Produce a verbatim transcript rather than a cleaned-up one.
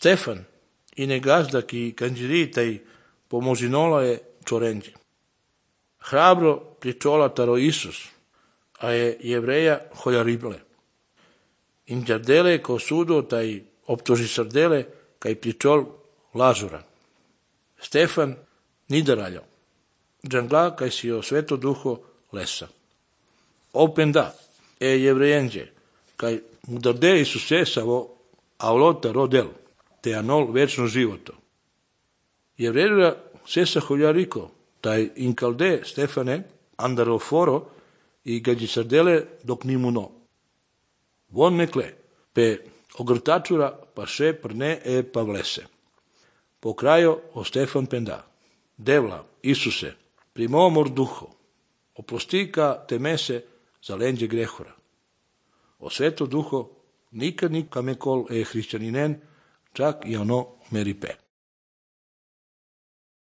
Stefan, ine gazda ki kanđiritaj pomožinola je čorenđi. Hrabro pričola taro Isus, a je jevreja holjarible. Inđardele ko sudo taj optoži srdele kaj pričol lažura. Stefan nidaraljo. Džangla kaj si o sveto duho lesa. Open da, e jevrejenđe, kaj mudarde Isusesavo avlota rodel, te anol večno životo. Jevrejura sesa holjariko, taj inkalde Stefane, andaroforo i gađi sardele dok nimuno. Von nekle, pe ogrtačura pa še prne e pa vlese. Po kraju o Stefan penda. Devla, Isuse, primomor duho, oprostika te mese za lenđe grehora. O sveto duho nikad nikame kol e hrišćaninen, čak i ono meripe.